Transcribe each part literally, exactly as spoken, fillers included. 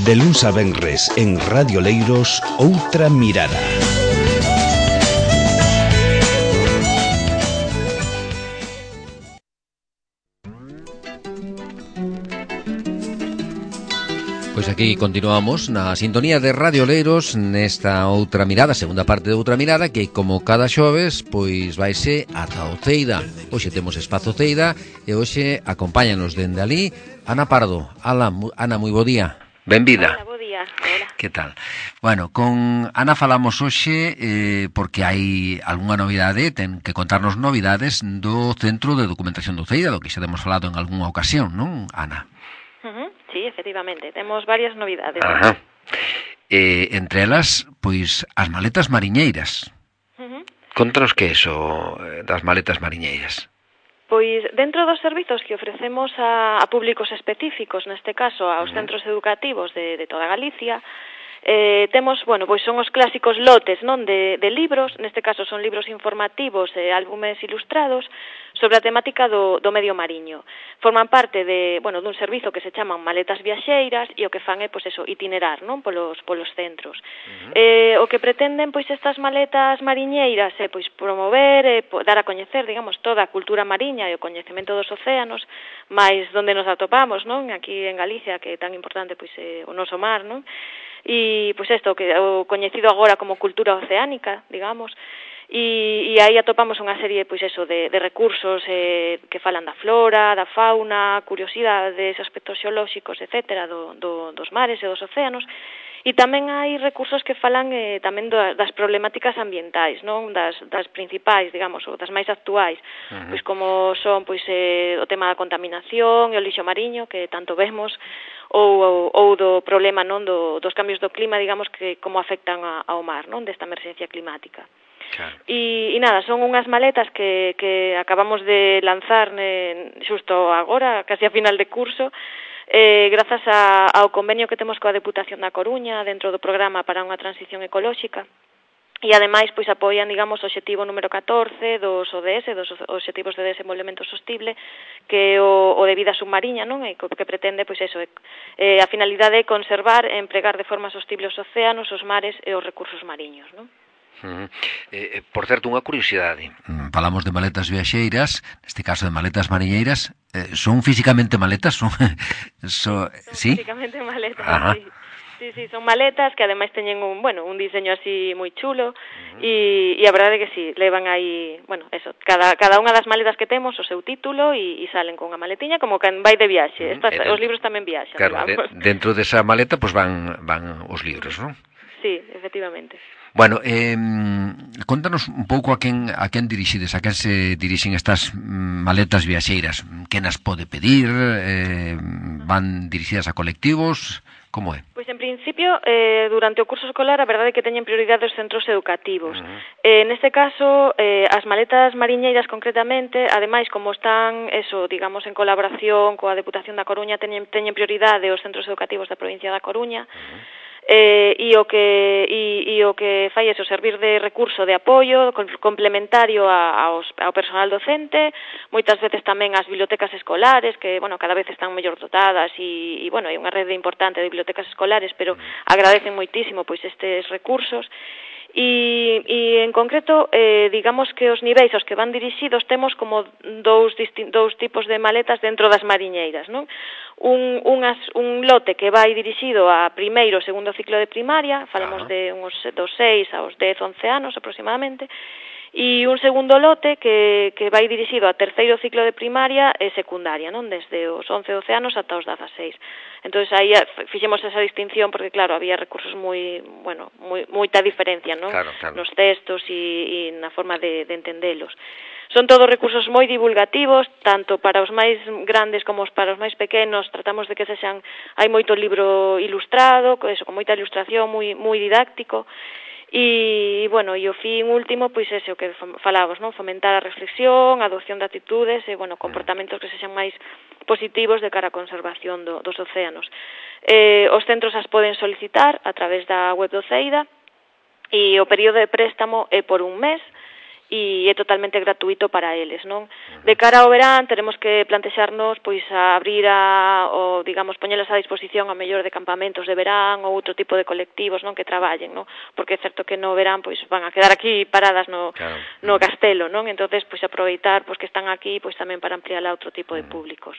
De luns a venres en Radio Leiros, Outra Mirada. Pois aquí continuamos na sintonía de Radio Leiros nesta Outra Mirada, segunda parte de Outra Mirada, que como cada xoves, pois vaise ata o Ceida. Hoxe temos espazo Ceida e hoxe acompáñanos dende ali Ana Pardo. Ala, Ana, moi bo día. Benvida. Hola, bo día. Hola. Que tal? Bueno, con Ana falamos hoxe eh, porque hai algunha novidade, ten que contarnos novidades do Centro de Documentación do Ceida, do que xa temos falado en algunha ocasión, non, Ana? Uh-huh. Sí, efectivamente, temos varias novidades. Ajá. Eh, entre elas, pois, as maletas mariñeiras. Uh-huh. Contanos que é iso das maletas mariñeiras. Pois, dentro dos servizos que ofrecemos a, a públicos específicos, neste caso aos uh-huh. centros educativos de, de toda Galicia, eh, temos, bueno, pois son os clásicos lotes, non, de, de libros, neste caso son libros informativos e álbumes ilustrados sobre a temática do, do medio mariño. Forman parte de, bueno, dun servizo que se chaman maletas viaxeiras e o que fan é, pois eso, itinerar, non, polos, polos centros. Uh-huh. Eh, o que pretenden, pois, estas maletas mariñeiras é, pois, promover e dar a coñecer, digamos, toda a cultura mariña e o coñecemento dos océanos, máis donde nos atopamos, non, aquí en Galicia, que é tan importante, pois, é o noso mar, non? E, pois, isto, que o coñecido agora como cultura oceánica, digamos, e, e aí atopamos unha serie, pois, eso, de, de recursos eh, que falan da flora, da fauna, curiosidades, aspectos xeolóxicos, etcétera, do, do, dos mares e dos océanos, e tamén hai recursos que falan eh, tamén das problemáticas ambientais, non, das, das principais, digamos, ou das máis actuais, uh-huh. pois como son, pois, eh, o tema da contaminación e o lixo mariño, que tanto vemos, ou, ou, ou do problema, non, do, dos cambios do clima, digamos, que como afectan a, ao mar, non, desta emerxencia climática. Claro. E, e nada, son unhas maletas que, que acabamos de lanzar ne, xusto agora, casi a final de curso, eh, grazas a, ao convenio que temos coa Deputación da Coruña dentro do programa para unha transición ecolóxica. E ademais, pois, apoian, digamos, o obxectivo número catorce dos O D S, dos Obxectivos de Desenvolvemento Sostible, que é o, o de vida submarina, non? E que pretende, pois, eso, eh, a finalidade é conservar e empregar de forma sostible os océanos, os mares e os recursos mariños, non? Uh-huh. Eh, por certo, unha curiosidade. Mm, falamos de maletas viaxeiras, neste caso de maletas mariñeiras. Eh, son físicamente maletas? Son, so, son ¿sí? físicamente maletas, Ajá. sí. Sí, sí, son maletas que ademais teñen un, bueno, un diseño así moi chulo, uh-huh. e, e a verdade é que sí, levan aí, bueno, eso, cada, cada unha das maletas que temos o seu título e, e salen con unha maletiña como que vai de viaxe. Uh-huh. Estas, dentro, os libros tamén viaxan, claro, de, dentro desa maleta pues van, van os libros, non? Sí, efectivamente. Bueno, eh, contanos un pouco a quen a quen dirixides, a quen se dirixen estas maletas viaxeiras, quen as pode pedir, eh, van dirixidas a colectivos, como é? Pois en principio, eh, durante o curso escolar, a verdade é que teñen prioridade os centros educativos. Uh-huh. Eh, neste caso, eh, as maletas mariñeiras concretamente, ademais, como están, eso, digamos, en colaboración coa Deputación da Coruña, teñen, teñen prioridade os centros educativos da provincia da Coruña, uh-huh. Eh, e o que e, e o que fai é servir de recurso de apoio complementario a, aos, ao personal docente, moitas veces tamén ás bibliotecas escolares, que, bueno, cada vez están mellor dotadas e, e bueno, hai unha rede importante de bibliotecas escolares, pero agradecen moitísimo pois estes recursos. E, e en concreto, eh, digamos que os niveis aos que van dirixidos temos como dous, distin- dous tipos de maletas dentro das mariñeiras, non? Un, unhas, un lote que vai dirixido a primeiro e segundo ciclo de primaria, falamos de uns dos seis aos dez, once anos aproximadamente, e un segundo lote que, que vai dirixido a terceiro ciclo de primaria e secundaria, non? Desde os once, doce anos ata os dezaseis. Entón, aí fixemos esa distinción porque, claro, había recursos moi, bueno, moi, moita diferencia, non? Claro, claro. Nos textos e, e na forma de, de entendelos. Son todos recursos moi divulgativos, tanto para os máis grandes como para os máis pequenos. Tratamos de que se xan, hai moito libro ilustrado, eso, con moita ilustración, moi, moi didáctico. E, bueno, e o fin último, pois ese o que falamos, non? Fomentar a reflexión, a adopción de actitudes e, bueno, comportamentos que sexan máis positivos de cara á conservación do, dos océanos. Eh, os centros as poden solicitar a través da web do Ceida e o período de préstamo é por un mes e é totalmente gratuito para eles, non? De cara ao verán teremos que plantexarnos pois a abrir a, o digamos, poñelas a disposición a mellor de campamentos de verán ou outro tipo de colectivos, non, que traballen, non? Porque é certo que no verán pois van a quedar aquí paradas no claro. no castelo, non? Entonces pois aproveitar pois que están aquí pois tamén para ampliar a outro tipo de públicos.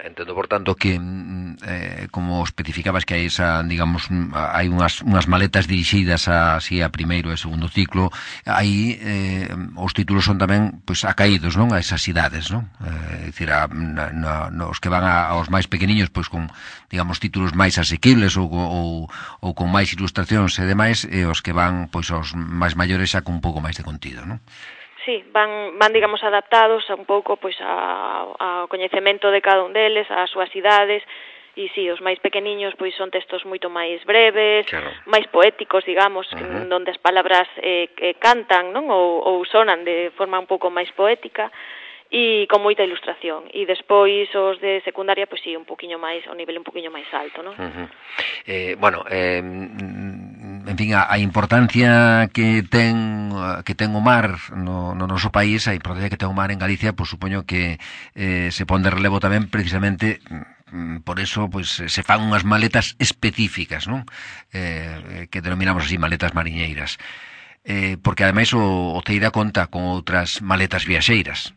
Entendo, por tanto, que eh, como especificabas que hai esa, digamos, hai unhas, unhas maletas dirixidas a, así, a primeiro e segundo ciclo, aí eh, os títulos son tamén pois acaídos, non, a esas idades, non? Eh, é dicir, a, na, na, os que van a, aos máis pequeniños pois con, digamos, títulos máis asequibles ou, ou, ou con máis ilustracións e demais, e os que van pois aos máis maiores xa con un pouco máis de contido, non? Sí, van, van digamos, adaptados a un pouco pois a, ao coñecemento de cada un deles, ás súas idades, e sí, os máis pequeniños pois son textos moito máis breves, claro. máis poéticos, digamos, uh-huh. donde as palabras eh, que cantan, non, ou, ou sonan de forma un pouco máis poética, e con moita ilustración. E despois os de secundaria, pois sí, un poquinho máis, o nivel un poquinho máis alto, non? Uh-huh. Eh, bueno, eh, en fin, a, a importancia que ten que ten o mar no, no noso país, a importancia que ten o mar en Galicia, pois supoño que eh, se pon de relevo tamén precisamente por eso pois se fan unhas maletas específicas, non? Eh, que denominamos así maletas mariñeiras. Eh, porque ademais o, o Teira conta con outras maletas viaxeiras.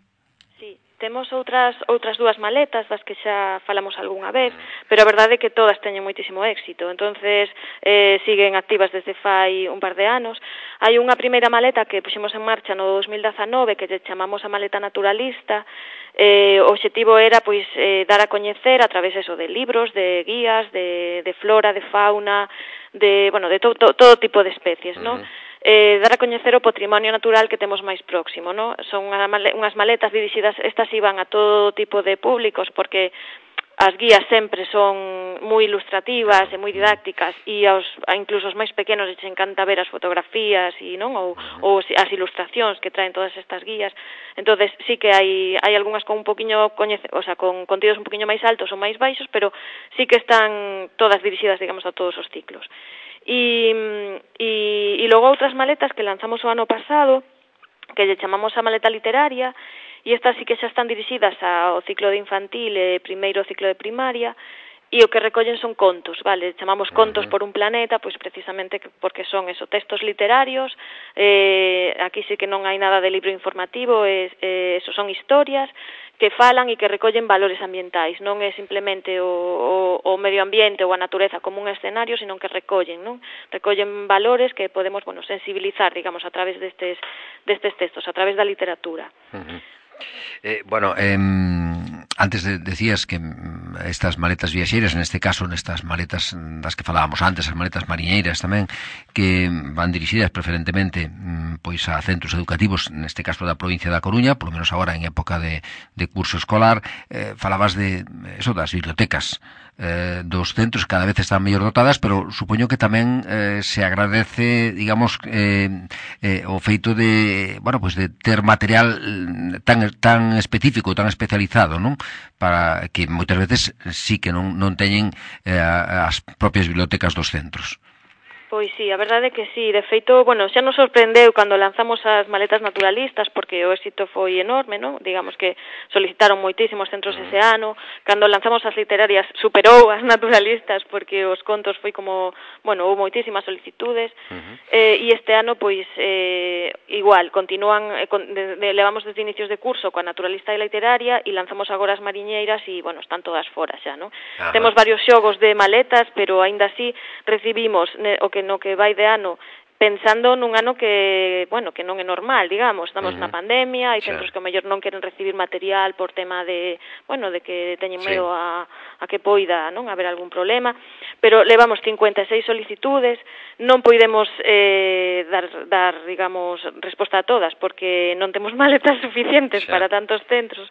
Temos outras outras dúas maletas das que xa falamos algunha vez, pero a verdade é que todas teñen moitísimo éxito. Entonces, eh, siguen activas desde fai un par de anos. Hai unha primeira maleta que puxemos en marcha no dos mil dezanove que lle chamamos a maleta naturalista. Eh, o obxectivo era pois eh, dar a coñecer a través eso de libros, de guías, de, de flora, de fauna, de, bueno, de to, to, todo tipo de especies, ¿no? Uh-huh. Eh, dar a coñecer o patrimonio natural que temos máis próximo, ¿no? Son unhas maletas dirixidas, estas iban a todo tipo de públicos, porque as guías sempre son moi ilustrativas e moi didácticas, e aos, a incluso os máis pequenos les encanta ver as fotografías e non ou, ou as ilustracións que traen todas estas guías. Entonces sí que hai hai algunhas con un poquiño coñece, o sea, con contidos un poquiño máis altos ou máis baixos, pero sí que están todas dirixidas, digamos, a todos os ciclos. E, e, e logo outras maletas que lanzamos o ano pasado, que lle chamamos a maleta literaria, e estas sí que xa están dirixidas ao ciclo de infantil e primeiro ciclo de primaria, e o que recollen son contos, vale? Chamamos contos por un planeta, pois precisamente porque son eso, textos literarios, eh, aquí sí que non hai nada de libro informativo, eh, eh, eso son historias que falan e que recollen valores ambientais, non é simplemente o, o, o medio ambiente ou a natureza como un escenario, sino que recollen, non? Recollen valores que podemos, bueno, sensibilizar, digamos, a través destes, destes textos, a través da literatura. Uh-huh. Eh, bueno, eh, antes de, decías que estas maletas viaxeiras, neste caso, nestas maletas das que falábamos antes, as maletas mariñeiras tamén, que van dirixidas preferentemente pois a centros educativos, neste caso da provincia da Coruña, polo menos agora en época de, de curso escolar, eh, falabas de eso, das bibliotecas eh, dos centros, cada vez están mellor dotadas, pero supoño que tamén eh, se agradece, digamos, eh, eh, o feito de, bueno, pues de ter material tan tan específico, tan especializado, non? Para que moitas veces sí que non non teñen eh, as propias bibliotecas dos centros. Pois sí, a verdade é que sí, de feito, bueno, xa nos sorprendeu cando lanzamos as maletas naturalistas, porque o éxito foi enorme, non? Digamos que solicitaron moitísimos centros ese ano, cando lanzamos as literarias superou as naturalistas, porque os contos foi como, bueno, houve moitísimas solicitudes, uh-huh. eh, e este ano, pois, eh, igual, continúan, eh, con, de, de, levamos desde inicios de curso coa naturalista e literaria, e lanzamos agora as mariñeiras, e, bueno, están todas fora xa, non? Uh-huh. Temos varios xogos de maletas, pero aínda así recibimos ne, o que no que vai de ano pensando nun ano que, bueno, que non é normal, digamos, estamos uh-huh. na pandemia, hai centros que ao mellor non queren recibir material por tema de, bueno, de que teñen medo sí. a, a que poida, non, haber algún problema, pero levamos cincuenta e seis solicitudes, non poidemos eh, dar, dar, digamos, resposta a todas, porque non temos maletas suficientes sí. para tantos centros,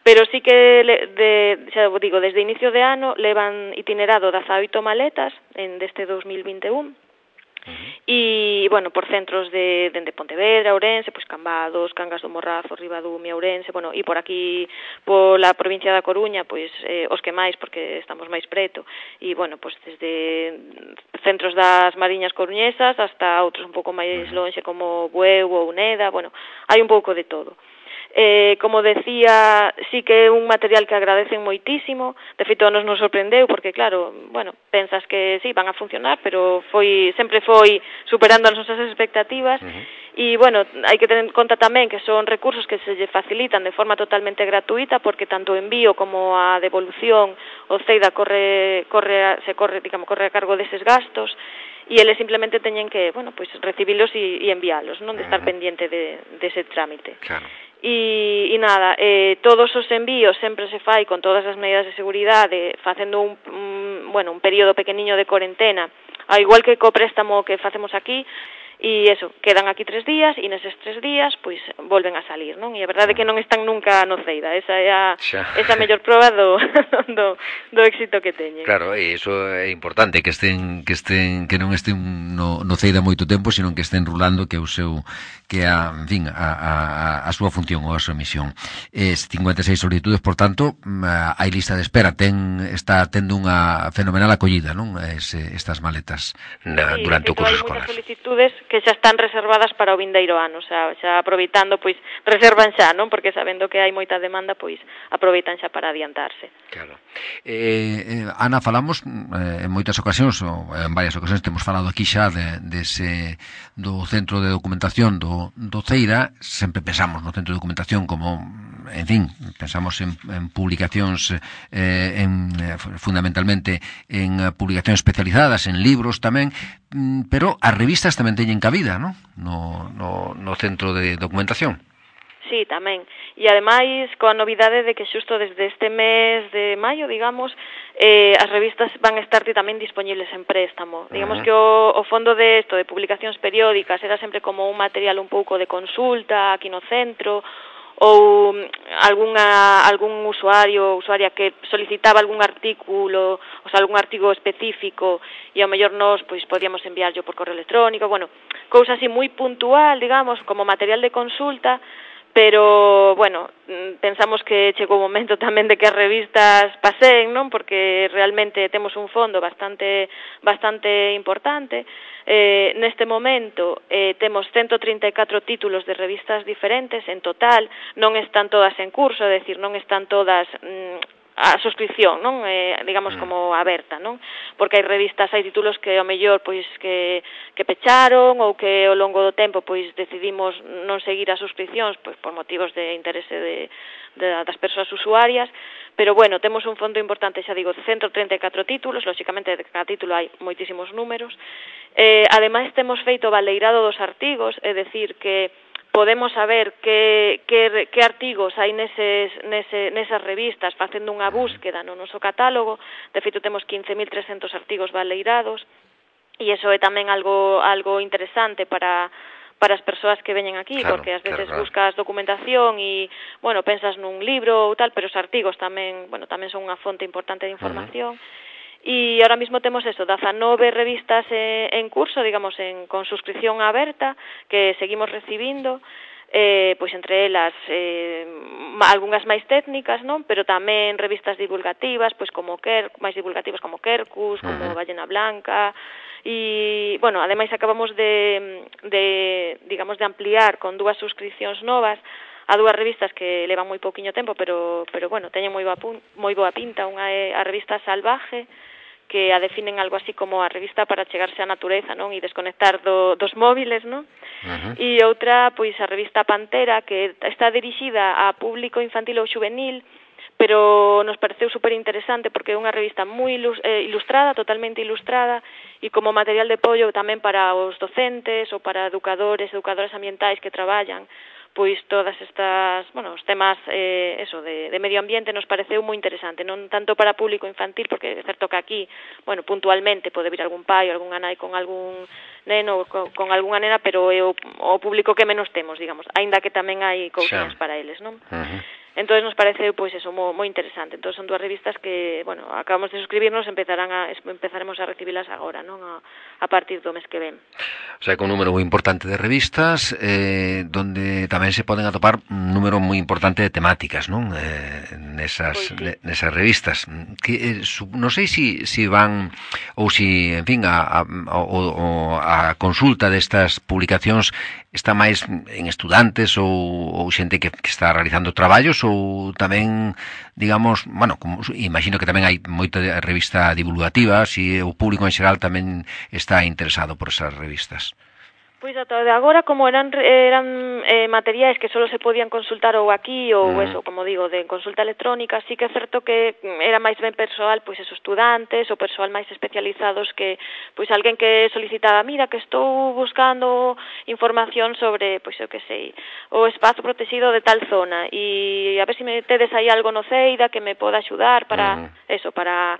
pero sí que, le, de, xa digo, desde inicio de ano levan itinerado dezaoito maletas en deste dos mil vinte e un, E, bueno, por centros de, de, de Pontevedra, Ourense, pois Cambados, Cangas do Morrazo, Ribadumia, Ourense, bueno, e por aquí, pola provincia da Coruña, pois eh, os que máis, porque estamos máis preto, e, bueno, pois desde centros das Mariñas coruñesas hasta outros un pouco máis lonxe como Bueu ou Neda, bueno, hai un pouco de todo. Eh, como decía, sí que é un material que agradecen moitísimo, de feito nos nos sorprendeu porque claro, bueno, pensas que sí, van a funcionar, pero foi sempre foi superando as nosas expectativas. Uh-huh. E bueno, hai que tener en conta tamén que son recursos que se lle facilitan de forma totalmente gratuita porque tanto o envío como a devolución o CEIDA corre corre se corre, digamos, corre a cargo deses gastos. E eles simplemente teñen que, bueno, pois recibilos e, e enviálos, non de estar uh-huh. pendiente de, de ese trámite. Claro. E, e nada, eh, todos os envíos sempre se fai con todas as medidas de seguridade, facendo un, un, bueno, un período pequeniño de corentena, ao igual que co préstamo que facemos aquí, e eso, quedan aquí tres días e neses tres días pois volven a salir, non? E a verdade é que non están nunca no CEIDA, esa é a, esa mellor proba do, do, do éxito que teñen. Claro, e iso é importante, que estén que estén que non estén no, no CEIDA moito tempo, sino que estén rulando, que é o seu que a, en fin, a, a, a súa función ou a súa misión. Es cincuenta e seis solicitudes, por tanto, hai lista de espera, ten está tendo unha fenomenal acollida, non? Es, estas maletas na, sí, durante o curso escolar. Hai moitas solicitudes que xa están reservadas para o vindeiro ano, xa, xa aproveitando, pois, reservan xa, non? Porque sabendo que hai moita demanda, pois, aproveitan xa para adiantarse. Claro. Eh, eh, Ana, falamos eh, en moitas ocasións, ou en varias ocasións, temos falado aquí xa de, de ese, do Centro de Documentación do, do CEIDA, sempre pensamos no Centro de Documentación como, en fin, pensamos en, en publicacións, eh, en, fundamentalmente en publicacións especializadas, en libros tamén, pero as revistas tamén teñen cabida, non? No, no, no Centro de Documentación. Sí, tamén. E ademais, coa novidade de que xusto desde este mes de maio, digamos, eh, as revistas van a estar tamén disponibles en préstamo. Uh-huh. Digamos que o, o fondo de isto, de publicacións periódicas, era sempre como un material un pouco de consulta aquí no centro, ou algunha, algún usuario, usuaria que solicitaba algún artículo, o sea, algún artigo específico, e ao mellor nos, pois, podíamos enviarlo por correo electrónico, bueno, cousa así moi puntual, digamos, como material de consulta, pero, bueno, pensamos que chegou o momento tamén de que as revistas paseen, non? Porque realmente temos un fondo bastante bastante importante. Eh, neste momento eh, temos ciento trinta e catro títulos de revistas diferentes en total, non están todas en curso, é dicir, non están todas mm, a suscripción, non? Eh, digamos como aberta, non? Porque hai revistas, hai títulos que ao mellor pois que que pecharon ou que ao longo do tempo pois decidimos non seguir as suscripcións pois por motivos de interese de, de das persoas usuarias, pero bueno, temos un fondo importante, xa digo, ciento trinta e catro títulos, lóxicamente de cada título hai moitísimos números. Eh, ademais temos feito o baleirado dos artigos, é dicir que podemos saber que, que, que artigos hai neses, nese, nesas revistas facendo unha búsqueda no noso catálogo. De feito, temos quince mil trescentos artigos baleirados e iso é tamén algo, algo interesante para, para as persoas que veñen aquí, claro, porque ás veces claro, buscas documentación e, bueno, pensas nun libro ou tal, pero os artigos tamén, bueno, tamén son unha fonte importante de información. Uh-huh. E ahora mismo temos eso, dezanove revistas eh, en curso, digamos, en, con suscripción aberta, que seguimos recibindo, eh, pois entre elas eh, algunhas máis técnicas, non? Pero tamén revistas divulgativas, pois como Ker, máis divulgativas como Quercus, como uh-huh. Ballena Blanca, e, bueno, ademais acabamos de, de, digamos, de ampliar con dúas suscripcións novas a dúas revistas que levan moi pouquiño tempo, pero, pero bueno, teñen moi boa, moi boa pinta. Unha é a revista Salvaje, que a definen algo así como a revista para chegarse á natureza, non? E desconectar do, dos móviles, non? Uh-huh. E outra, pois, a revista Pantera, que está dirixida a público infantil ou juvenil, pero nos pareceu super interesante porque é unha revista moi ilustrada, totalmente ilustrada, e como material de apoio tamén para os docentes ou para educadores, educadoras ambientais que traballan pois todas estas, bueno, os temas eh, eso de, de medio ambiente nos pareceu moi interesante, non tanto para público infantil, porque é certo que aquí, bueno, puntualmente pode vir algún pai ou algunha nai con algún neno, con, con algunha nena, pero é o, o público que menos temos, digamos, aínda que tamén hai cousas para eles, non? Uh-huh. Entón nos parece, pois, eso, moi, moi interesante. Entón son dúas revistas que, bueno, acabamos de suscribirnos, empezarán a, empezaremos a recibilas agora, non? A, a partir do mes que ven. O sea, que un número moi importante de revistas, eh, donde tamén se poden atopar un número moi importante de temáticas, non? Eh, nesas, pois sí. nesas revistas. Que, eh, su, non sei se si, si van, ou si, en fin, a, a, o, o, a consulta destas publicacións está máis en estudantes ou, ou xente que, que está realizando traballos, ou tamén, digamos, bueno, como, imagino que tamén hai moita revista divulgativa, se o público en xeral tamén está interesado por esas revistas. Pois ata de agora, como eran eran eh, materiais que só se podían consultar ou aquí ou uh-huh. eso, como digo, de consulta electrónica, sí que é certo que era máis ben persoal, pois esos estudantes ou persoal máis especializados que, pois alguén que solicitaba, mira, que estou buscando información sobre, pois eu que sei, o espazo protegido de tal zona e a ver se me tedes aí algo no CEIDA que me poda axudar para, uh-huh. eso, para...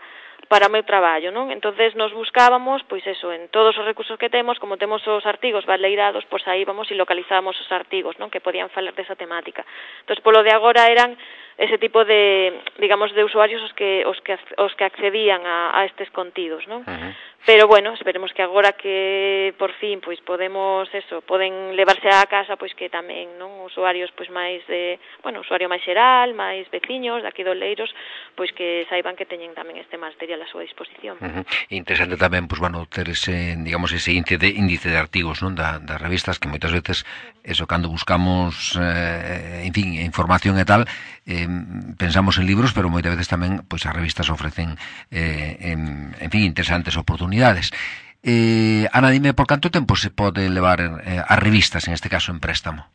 para o meu traballo, non? Entonces nos buscábamos, pois eso, en todos os recursos que temos, como temos os artigos baleirados, pois aí vamos e localizábamos os artigos, non? Que podían falar desa temática. Entón, polo de agora eran ese tipo de, digamos, de usuarios os que os que os que accedían a, a estes contidos, non? Uh-huh. Pero bueno, esperemos que agora que por fin pois podemos eso, poden levarse á casa pois que tamén, non, usuarios pois máis de, bueno, usuario máis xeral, máis veciños daqui do Leiros, pois que saiban que teñen tamén este material a súa disposición. Uh-huh. Interesante tamén, pois bueno, ter ese, digamos, ese índice de, índice de artigos, non, da, das revistas que moitas veces eso cando buscamos eh, en fin, información e tal, eh, pensamos en libros, pero moitas veces tamén pois as revistas ofrecen eh, en, en fin, interesantes oportunidades. Eh, Ana, dime, por canto tempo se pode levar eh, as revistas, en este caso en préstamo?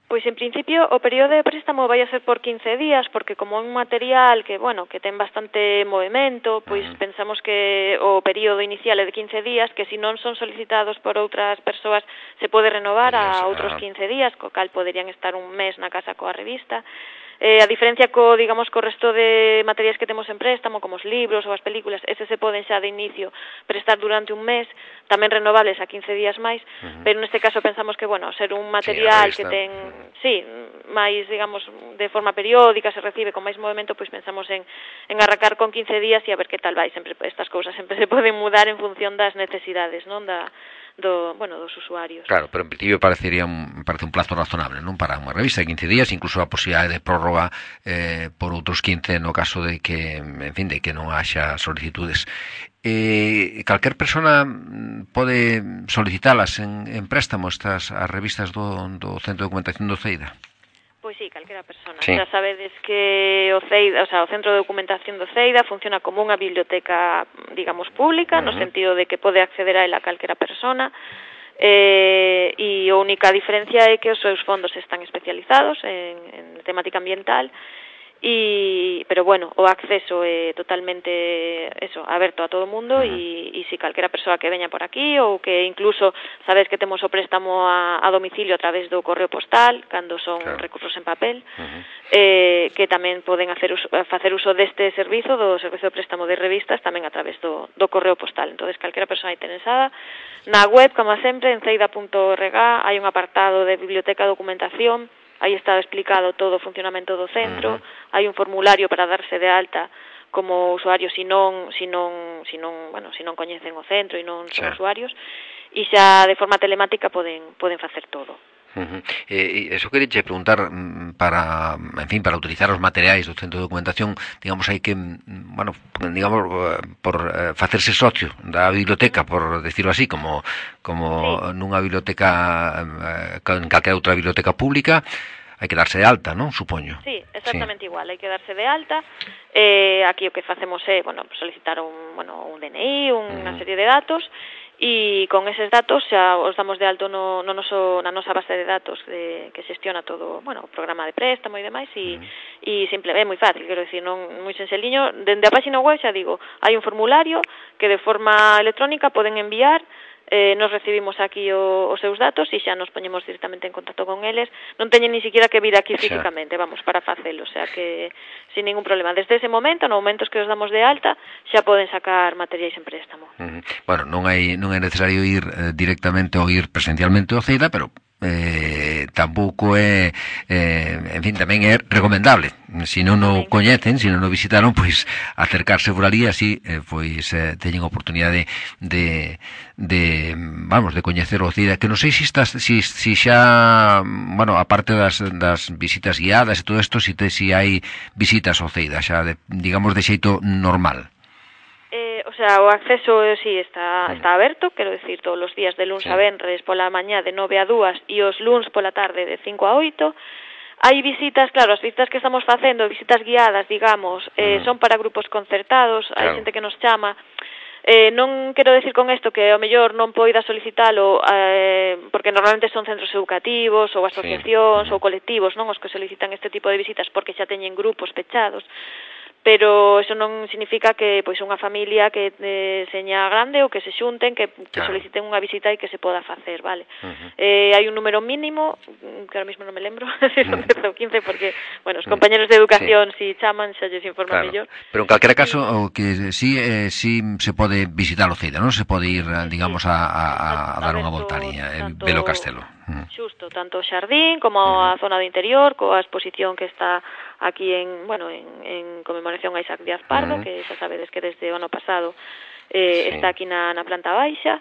Pois en principio o período de préstamo vai a ser por quince días, porque como é un material que, bueno, que ten bastante movimento, pois uh-huh. pensamos que o período inicial é de quince días, que se non son solicitados por outras persoas se pode renovar a outros quince días, co cal poderían estar un mes na casa coa revista. Eh, a diferencia co, digamos, co resto de materiais que temos en préstamo, como os libros ou as películas, ese se poden xa de inicio prestar durante un mes, tamén renovables a quince días máis, uh-huh. pero neste caso pensamos que, bueno, ser un material sí, que ten, sí, máis, digamos, de forma periódica, se recibe con máis movimento, pois pensamos en, en arrancar con quince días e a ver que tal vai. Sempre estas cousas sempre se poden mudar en función das necesidades, non, da do, bueno, dos usuarios. Claro, pero en principio parecería un, parece un plazo razonable, non, para unha revista de quince días, incluso a posibilidade de prórroga eh, por outros quince no caso de que, en fin, de que non haxa solicitudes. Eh, calquer persona pode solicitalas en, en préstamo estas as revistas do, do Centro de Documentación do CEIDA? Pois sí, calquera persona. Sí. Xa sabedes que o CEIDA, o sea, o Centro de Documentación do CEIDA funciona como unha biblioteca, digamos, pública, uh-huh. no sentido de que pode acceder a ela calquera persona, eh, e a única diferencia é que os seus fondos están especializados en, en temática ambiental, y pero bueno, o acceso é totalmente eso, aberto a todo o mundo, e, e si calquera persoa que veña por aquí ou que incluso sabes que temos o préstamo a, a domicilio a través do correo postal cando son claro. recursos en papel, uh-huh. eh, que tamén poden hacer uso, facer uso deste servizo, do servizo de préstamo de revistas, tamén a través do, do correo postal. Entonces calquera persoa interesada na web, como sempre, en ceida punto org hai un apartado de biblioteca documentación. Aí está explicado todo o funcionamento do centro, uh-huh. hai un formulario para darse de alta como usuarios si non, si non, si non, bueno, si non coñecen o centro e non son sí. usuarios, e xa de forma telemática poden poden facer todo. Uh-huh. Eh, eso quería preguntar para, en fin, para utilizar os materiais do Centro de Documentación, digamos, hai que, bueno, digamos, por eh, facerse socio da biblioteca, por decirlo así, como como sí. nunha biblioteca, eh, en calquera outra biblioteca pública, hai que darse de alta, non? Supoño. Sí, exactamente sí. igual, hai que darse de alta. Eh, aquí o que facemos é, bueno, solicitar un, bueno, un D N I, unha uh-huh. serie de datos, e con eses datos xa os damos de alto no, no noso, na nosa base de datos de, que xestiona todo, bueno, o programa de préstamo e demais, e, uh-huh. e simple, é moi fácil, quero dicir, non moi senxeliño. Dende a página web xa digo, hai un formulario que de forma electrónica poden enviar, eh, nos recibimos aquí o, os seus datos e xa nos poñemos directamente en contacto con eles, non teñen ni siquiera que vir aquí físicamente, vamos, para facelo, o sea que sin ningún problema. Desde ese momento, no momentos que os damos de alta, xa poden sacar materiais en préstamo. Uh-huh. Bueno, non hai non é necesario ir eh, directamente ou ir presencialmente ao CEIDA, pero eh, tampouco é eh, en fin, tamén é recomendable. Se non o coñecen, se non o visitaron, pois acercarse por ali, así eh, pois eh, teñen oportunidade de, de vamos, de coñecer o Oceida, que non sei se estás, si, si xa, bueno, aparte das, das visitas guiadas e todo isto, si, te, si hai visitas ao Oceida, xa de, digamos de xeito normal. Eh, o sea, o acceso sí está, está aberto, quero decir, todos os días de luns sí. a venres pola mañá de nove a dúas e os luns pola tarde de cinco a oito. Hai visitas, claro, as visitas que estamos facendo, visitas guiadas, digamos, eh, son para grupos concertados, claro. Hai xente que nos chama. Eh, non quero decir con isto que ao mellor non poida solicitalo eh, porque normalmente son centros educativos ou asociacións sí. ou colectivos, non, os que solicitan este tipo de visitas porque xa teñen grupos pechados. Pero eso non significa que pois unha familia que eh, seña grande ou que se xunten, que, que claro. soliciten unha visita e que se poda facer, vale? Uh-huh. Eh, hai un número mínimo, que ahora mismo non me lembro, se son dez ou quince, porque, bueno, os compañeros de educación sí. si chaman, xa lles informa claro. mellor. Pero en calquera caso, o que sí, eh, sí se pode visitar o Oceida, non? Se pode ir, digamos, a, a, a dar unha voltaría, en Velo Castelo. Xusto, tanto o xardín como a zona do interior, coa exposición que está aquí en, bueno, en, en conmemoración a Isaac Díaz Pardo, uh-huh. que xa sabedes que desde o ano pasado eh, sí. está aquí na, na planta baixa,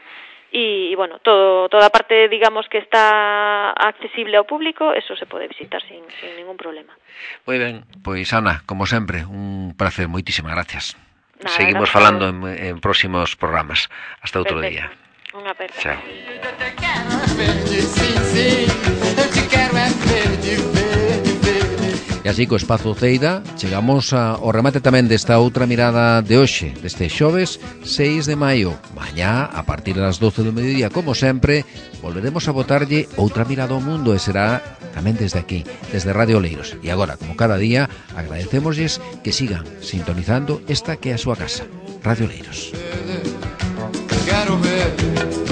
e, e bueno, todo, toda a parte, digamos, que está accesible ao público, eso se pode visitar sin, sin ningún problema. Moi ben, pois Ana, como sempre, un placer, moitísimas gracias. Nada, Seguimos gracias. falando en, en próximos programas. Hasta outro Perfecto. día. Unha aperta. Chao. E así co Espazo Oceida chegamos ao remate tamén desta outra mirada de hoxe, deste xoves seis de maio. Mañá, a partir das doce do mediodía, como sempre, volveremos a botarlle outra mirada ao mundo e será tamén desde aquí, desde Radio Oleiros. E agora, como cada día, agradecémoslles que sigan sintonizando esta que é a súa casa, Radio Oleiros. Quero ver